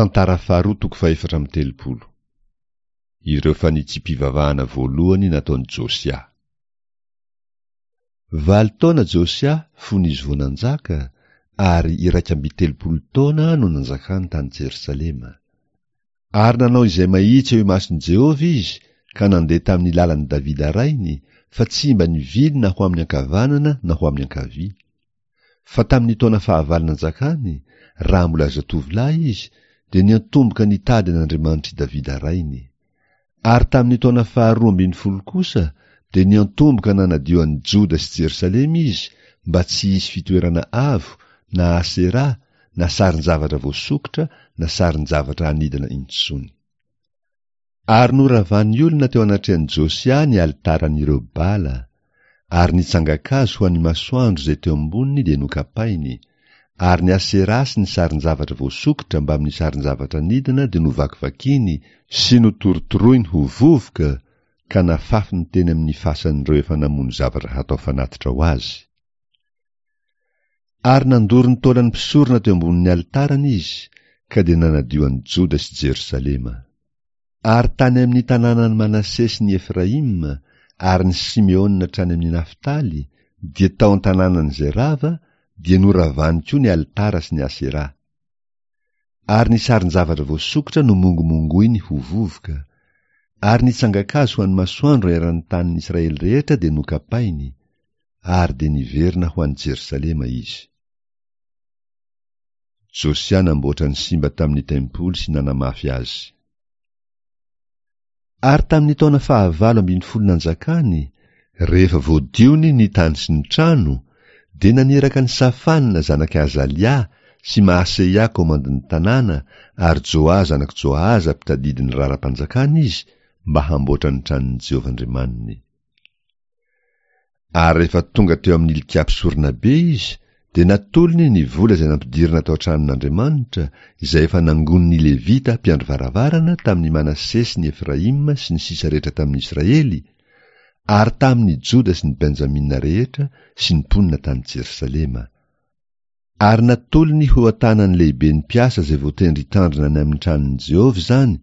Tantara faharoa toko fahefatra amby 30. Ireo fanitsiam-pivavahana voalohany nataon'i Josia. Valo taona Josia fony izy vao nanjaka, ary 31 taona no nanjakany tany Jerosalema. Ary nanao izay mahitsy eo imason'i Jehovah izy ka nandeha tamin'ny lalan'i Davida rainy, fa tsy mba nivily na ho amin'ny ankavanana na ho amin'ny ankavia. Fa tamin'ny taona fahavalo nanjakany, raha mbola zatovolahy izy, dia niantomboka nitady an'Andriamanitr'i Davida rainy. Ary tamin'ny taona faharoa ambin'ny folo kosa dia niantomboka nanadio an'i Joda sy Jerosalema izy mba tsy hisy fitoerana avo na Asera na sarin-javatra voasokitra na sarin-javatra anidina intsony. Ary noravan'ny olona teo anatrehan'i Josia ny alitaran'ireo Bala, ary ny tsangan-kazo ho an'ny masoandro izay teo amboniny dia nokapainy, ary ny Asera sy ny sarin-javatra voasokitra mbamin'ny sarin-javatra anidina dia novakivakiany sy notorotoroiny ho vovoka ka nafafiny teny amin'ny fasan'ireo efa namono zavatra hatao fanatitra ho azy. Ary nandoro ny taolan'ny mpisorona teo ambonin'ny alitarany izy, ka dia nanadio an'i Joda sy Jerosalema. Ary tany amin'ny tanànan'i Manase sy ny Efraima ary ny Simeona hatrany amin'ny Naftaly, dia tao an-tanànan'izay rava, dia noravany koa ny alitara sy ny Asera. Ary ny sarin-javatra voasokitra nomongomongoiny ho vovoka, ary ny tsangan-kazo ho an'ny masoandro eran'ny tanin'ny Israely rehetra dia nokapainy, ary dia niverina ho any Jerosalema izy. Josia namboatra ny simba tamin'ny tempoly sy nanamafy azy. Ary tamin'ny taona fahavalo ambin'ny folo nanjakany, rehefa voadiony ny tany sy ny trano, dia naniraka an'i Safana zanak'i Azalia sy Mahaseia komandin'ny tanàna ary Joa zanak'i Joahaza mpitadidy ny raharaham-panjakana izy mba hamboatra ny tranon'i Jehovah Andriamaniny. Ary rehefa tonga teo amin'i Hilkia mpisoronabe izy, dia natolony ny vola izay nampidirina tao an-tranon'Andriamanitra, izay efa nangonin'ny Levita mpiandry varavarana tamin'i Manase sy ny Efraima sy ny sisa rehetra tamin'ny Israely, ary tamin'ny Joda sy ny Benjamina rehetra sy ny mponina tany Jerosalema. Ary natolony ho an-tanan'ny lehiben'ny mpiasa izay voatendry hitandrina ny amin'ny tranon'i Jehovah izany,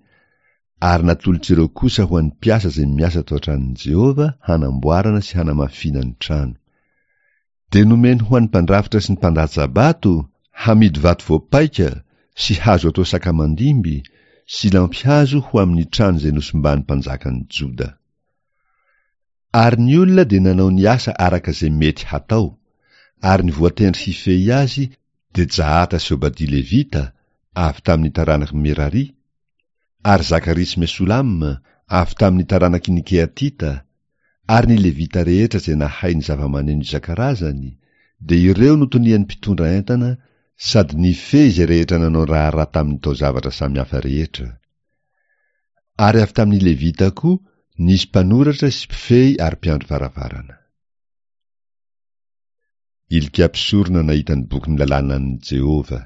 ary natolotr'ireo kosa ho an'ny mpiasa izay miasa tao an-tranon'i Jehovah hanamboarana sy hanamafiana ny trano. Dia nomeny ho an'ny mpandrafitra sy ny mpandatsa-bato hamidy vato voapaika sy hazo atao sakamandimby sy lampihazo ho amin'ny trano izay nosimban'ny mpanjakan'i Joda. Ary ny olona dia nanao ny asa araka izay mety hatao, ary ny voatendry hifehy azy dia Jahata sy Obadia Levita, avy tamin'ny taranak'i Merari, ary Zakaria sy Mesolama, avy tamin'ny taranaky ny Kehatita, ary ny Levita rehetra izay nahay ny zava-maneno isan-karazany, dia ireo no tonian'ny mpitondra entana sady nifehy izay rehetra nanao raharaha tamin'ny taozavatra samihafa rehetra. Ary avy tamin'ny Levita koa nisy mpanoratra sy mpifehy ary mpiandry varavarana. Hilkia mpisorona nahita ny bokin'ny lalànan'i Jehovah.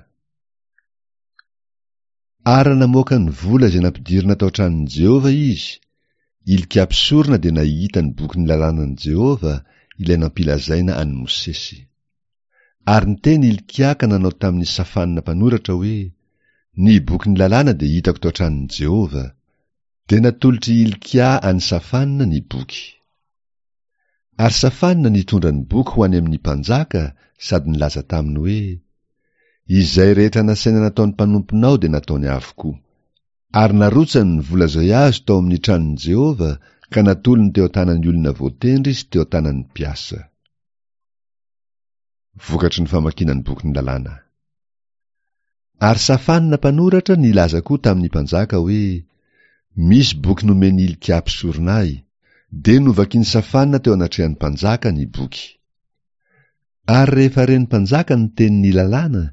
Ary namoaka ny vola izay nampidirina tao an-tranon'i Jehovah izy, Hilkia mpisorona dia nahita ny bokin'ny lalànan'i Jehovah, ilay nampilazaina an'i Mosesy. Ary niteny Hilkia ka nanao tamin'i Safana mpanoratra hoe, Ny bokin'ny lalàna dia hitako tao an-tranon'i Jehovah. Dia natolotr'i Hilkia an'i Safana ny boky. Ary Safana nitondra ny boky ho any amin'ny mpanjaka sady nilaza taminy hoe, Izay rehetra nasaina nataon'ny mpanomponao dia nataony avokoa. Ary narotsany ny vola izay azo tao amin'ny tranon'i Jehovah ka natolony teo an-tanan'ny olona voatendry sy teo an-tanan'ny mpiasa. Vokatry ny famakiana ny bokin'ny lalàna. Ary Safana mpanoratra nilaza koa tamin'ny mpanjaka hoe, Misy boky nomen'i Hilkia mpisorona ahy. Dia novakin'i Safana teo anatrehan'ny mpanjaka ny boky. Ary rehefa ren'ny mpanjaka ny tenin'ny lalàna,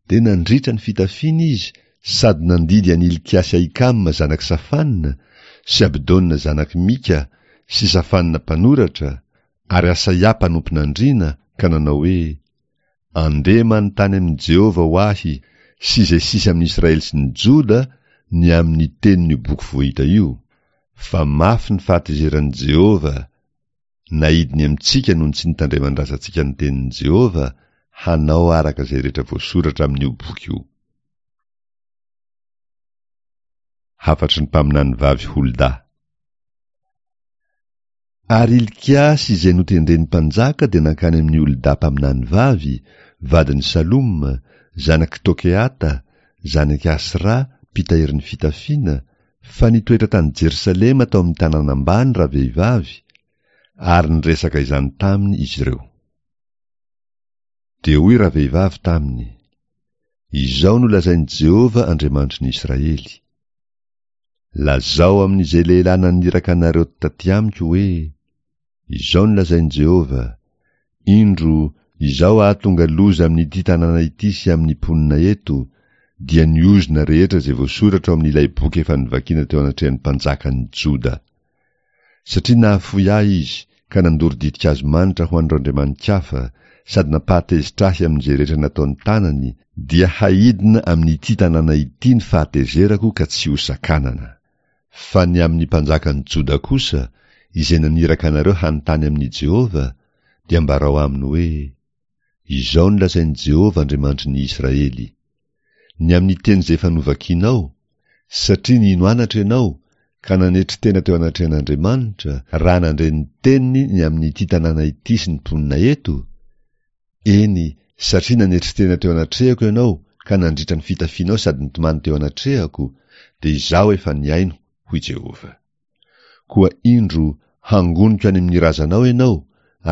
dia nandritra ny fitafiany izy sady nandidy an'i Hilkia sy Ahikama zanak'i Safana sy Abdona zanak'i Mika sy Safana mpanoratra ary Asaia mpanompon'andriana ka nanao hoe, Andeha manontany amin'i Jehovah ho ahy sy izay sisa amin'i Israely sy ny Joda ny amin'ny tenin'io boky voahita io, fa mafy ny fahatezeran'i Jehovah naidiny amintsika noho ny tsy nitandreman-drazantsika ny tenin'i Jehovah hanao araka izay rehetra voasoratra amin'io boky io. Hafatry ny mpaminanivavy Holda. Ary Hilkia sy izay notendren'ny mpanjaka dia nankany amin'i Holda mpaminanivavy, vadin'i Saloma, zanak'i Tokeata, zanak'i Asra, mpitahiry ny fitafiana, fa nitoetra tany Jerosalema tao amin'ny tanàna ambany ravehivavy, ary niresaka izany taminy izy ireo. Dia hoy ravehivavy taminy, Izao no lazain'i Jehovah Andriamanitry ny Israely, Lazao amin'izay lehilahy naniraka anareo taty amiko hoe, Izao no lazain'i Jehovah, Indro, izaho hahatonga loza amin'ity tanàna ity sy amin'ny mponina eto, dia ny ozona rehetra izay voasoratra ao amin'ilay boky efa novakiana teo anatrehan'ny mpanjakan'ny Joda. Satria nahafoy ahy izy ka nandoro ditin-kazo manitra ho an'ireo andriamani-kafa sady nampahatezitra ahy amin'izay rehetra nataon'ny tanany, dia haidina amin'ity tanàna ity ny fahatezerako ka tsy hosakanana. Fa ny amin'ny mpanjakan'i Joda kosa, izay naniraka anareo hanontany amin'i Jehovah, dia ambarao aminy hoe, Izao no lazain'i Jehovah Andriamanitry ny Israely, Ny amin'ny teny izay efa novakinao, satria nino anatra ianao ka nanetry tena teo anatrehan'Andriamanitra raha nandre ny teniny ny amin'ity tanàna ity sy ny mponina eto, eny, satria nanetry tena teo anatrehako ianao ka nandritra ny fitafianao sady nitomany teo anatrehako, dia Izaho efa nihaino, hoy Jehovah. Koa indro, hangoniko any amin'ny razanao ianao,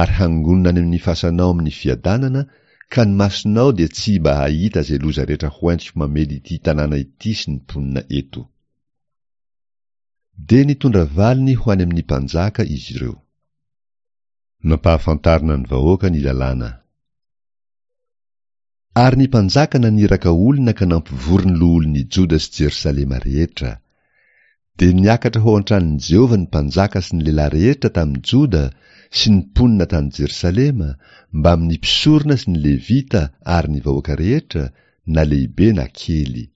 ary hangonina any amin'ny fasanao amin'ny fiadanana, ka ny masonao dia tsy mba hahita izay loza rehetra hoentiko mamely ity tanàna ity sy ny mponina eto. Dia nitondra valiny ho any amin'ny mpanjaka izy ireo. Nampahafantarina ny vahoaka ny lalàna. Ary ny mpanjaka naniraka olona ka nampivory ny loholon'i Joda sy Jerosalema rehetra. Dia niakatra ho ao an-tranon'i Jehovah ny mpanjaka sy ny lehilahy rehetra tamin'i Joda sy ny mponina tany Jerosalema, mbamin'ny mpisorona sy ny Levita ary ny vahoaka rehetra, na lehibe na kely.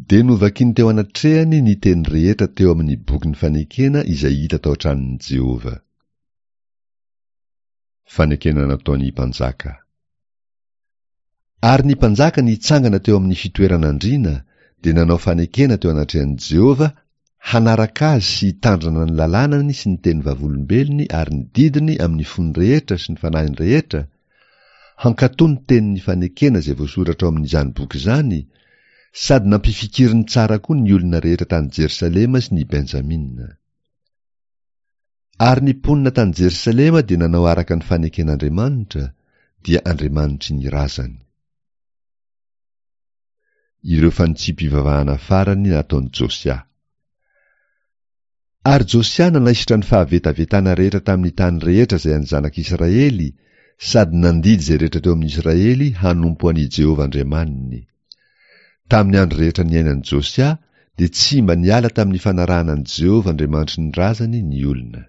Dia novakiny teo anatrehany ny teny rehetra teo amin'ny bokin'ny fanekena izay hita tao an-tranon'i Jehovah. Fanekena nataon'ny mpanjaka. Ary ny mpanjaka nitsangana teo amin'ny fitoeran'andriana dia nanao fanekena teo anatrehan'i Jehovah hanaraka azy sy hitandrina ny lalànany sy ny teny vavolombelony ary ny didiny amin'ny fony rehetra sy ny fanahiny rehetra, hankatò ny tenin'ny fanekena izay voasoratra ao amin'izany boky izany, sady nampifikiriny tsara koa ny olona rehetra tany Jerosalema sy ny Benjamina. Ary ny mponina tany Jerosalema dia nanao araka ny faneken'Andriamanitra, dia Andriamanitry ny razany. Ireo fanitsiam-pivavahana farany nataon'i Josia. Ary Josia nanaisotra ny fahavetavetana rehetra tamin'ny tany rehetra izay an'ny zanak'Israely, sady nandidy izay rehetra teo amin'i Israely hanompo an'i Jehovah Andriamaniny. Tamin'ny andro rehetra niainan'i Josia dia tsy mba niala tamin'ny fanarahana an'i Jehovah Andriamanitry ny razany ny olona.